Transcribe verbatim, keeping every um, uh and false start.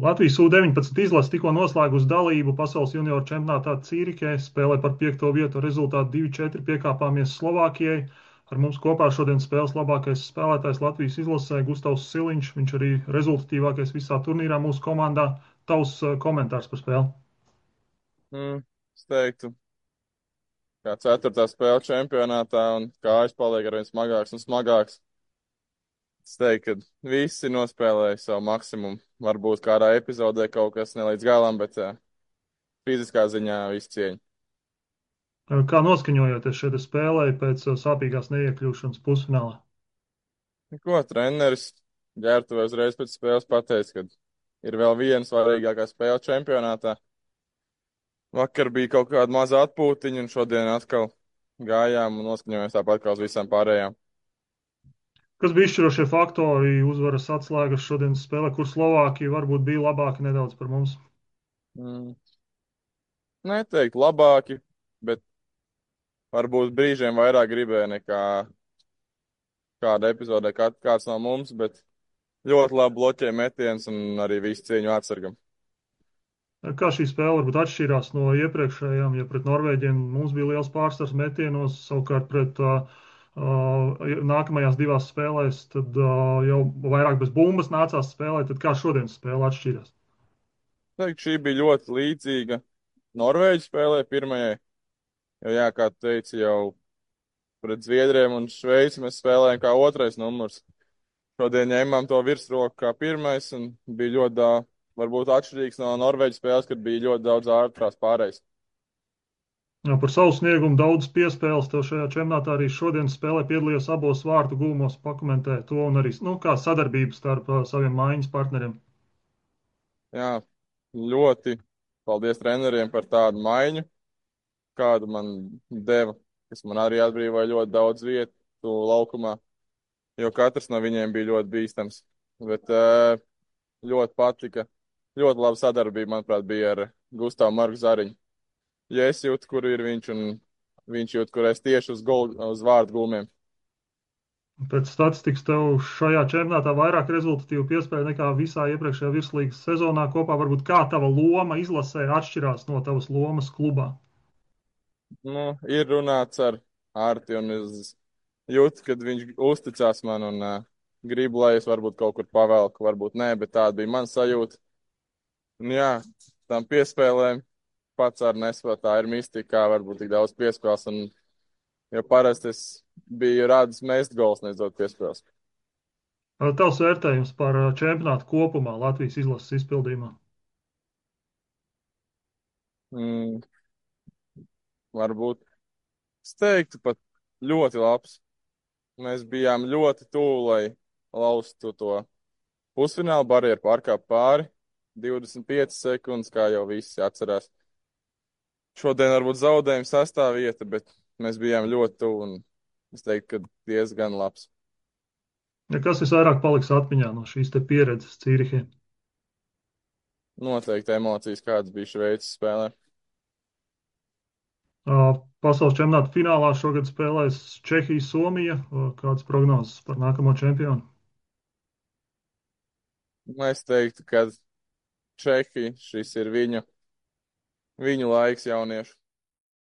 Latvijas U deviņpadsmit izlase tikko noslēgusi dalību Pasaules junioru čempionātā Cīrihē, spēlē par piekto vietu ar rezultātu divi četri piekāpāmies Slovākijai. Ar mums kopā šodien spēles labākais spēlētājs Latvijas izlasē Gustavs Siliņš. Viņš arī rezultatīvākais visā turnīrā mūsu komandā. Tavs uh, komentārs par spēli? Mm, es teiktu, kā ceturtā spēle čempionātā un kājas paliek arvien smagāks un smagāks. Es teiktu, ka visi nospēlēja savu maksimumu. Varbūt kādā epizodē kaut kas ne līdz galam, bet uh, fiziskā ziņā viss cieņa. Uh, Kā noskaņojoties šeit spēlē pēc uh, sāpīgās neiekļūšanas pusfinālā? Ko treneris ģērbtuvē uzreiz pēc spēles pateica, ka ir vēl viena svarīgākā spēle čempionātā. Vakar bija kaut kāda maza atpūtiņa, un šodien atkal gājām un noskaņojāmies tāpat kā uz visām pārējām. Kas bija izšķirošie faktori, uzvaras atslēgas šodienas spēlē, kur Slovākija varbūt bija labāka nedaudz par mums? Mm. Neteikt labāki, bet varbūt brīžiem vairāk gribēja nekā kāda epizodē kā, kāds no mums, bet ļoti labi bloķēja metiens un arī visu cieņu atsargam. Kā šī spēle varbūt atšķīrās no iepriekšējām, ja pret Norvēģiem mums bija liels pārsvars metienos, savukārt pret uh, uh, nākamajās divās spēlēs, tad uh, jau vairāk bez bumbas nācās spēlēt, tad kā šodienas spēle atšķīrās? Teikt, šī bija ļoti līdzīga Norvēģu spēlē pirmajai, jo, jā, kā tu teici, jau pret Zviedriem un Šveici mēs spēlējām kā otrais numurs. Šodien ņēmām to virsroku kā pirmais un bija ļoti daudz, varbūt atšķirīgs no Norvēģijas spēles, kad bija ļoti daudz ārprās pārējais. Jā, par savu sniegumu daudz piespēles tev šajā čempionātā arī šodienas spēlē piedalījos abos vārtu gūmos, pakomentē to un arī, nu, kā sadarbību starp uh, saviem mājiņas partneriem. Jā, ļoti paldies treneriem par tādu maiņu, kādu man deva, kas man arī atbrīvoja ļoti daudz vietu laukumā, jo katrs no viņiem bija ļoti bīstams. Bet eh, ļoti patika, ļoti laba sadarbība, manuprāt, bija ar Gustavu Marku Zariņu. Ja es jūtu, kur ir viņš, un viņš jūt, kur es tieši uz, gul, uz vārdu gulmiem. Pēc statistikas tev šajā čempionātā vairāk rezultatīvu piespēļu nekā visā iepriekšējā virslīgas sezonā kopā. Varbūt kā tava loma izlasē atšķirās no tavas lomas klubā? Nu, ir runāts ar Ārti, un es jūtu, kad viņš uzticās man un uh, grib, lai es varbūt kaut kur pavelku, varbūt nē, bet tāda bija mana sajūta. Un jā, tam piespēlēm pats ar nespēju, tā ir mistika, kā varbūt tik daudz piespēles, un jo parasti es biju rādis mest gols, neizdot piespēles. Tavs vērtējums par čempionātu kopumā Latvijas izlases izpildījumā? Mm, varbūt es teiktu pat ļoti labs. Mēs bijām ļoti tuvu, lai laustu to pusfinālu barjeru pārkāpt pāri. divdesmit piecas sekundes, kā jau visi atcerās. Šodien varbūt zaudējuma sastāvvieta, bet mēs bijām ļoti tuvu un es teiktu, ka diezgan labs. Ja kas visvairāk paliks atmiņā no šīs te pieredzes Cīrihē? Noteikti emocijas, kādas bija Šveices spēlē. Pasaules čempionāta finālā šogad spēlēs Čehija, Somija. Kādas prognozes par nākamo čempionu? Es teiktu, ka Čehi šis ir viņu, viņu laiks jauniešu.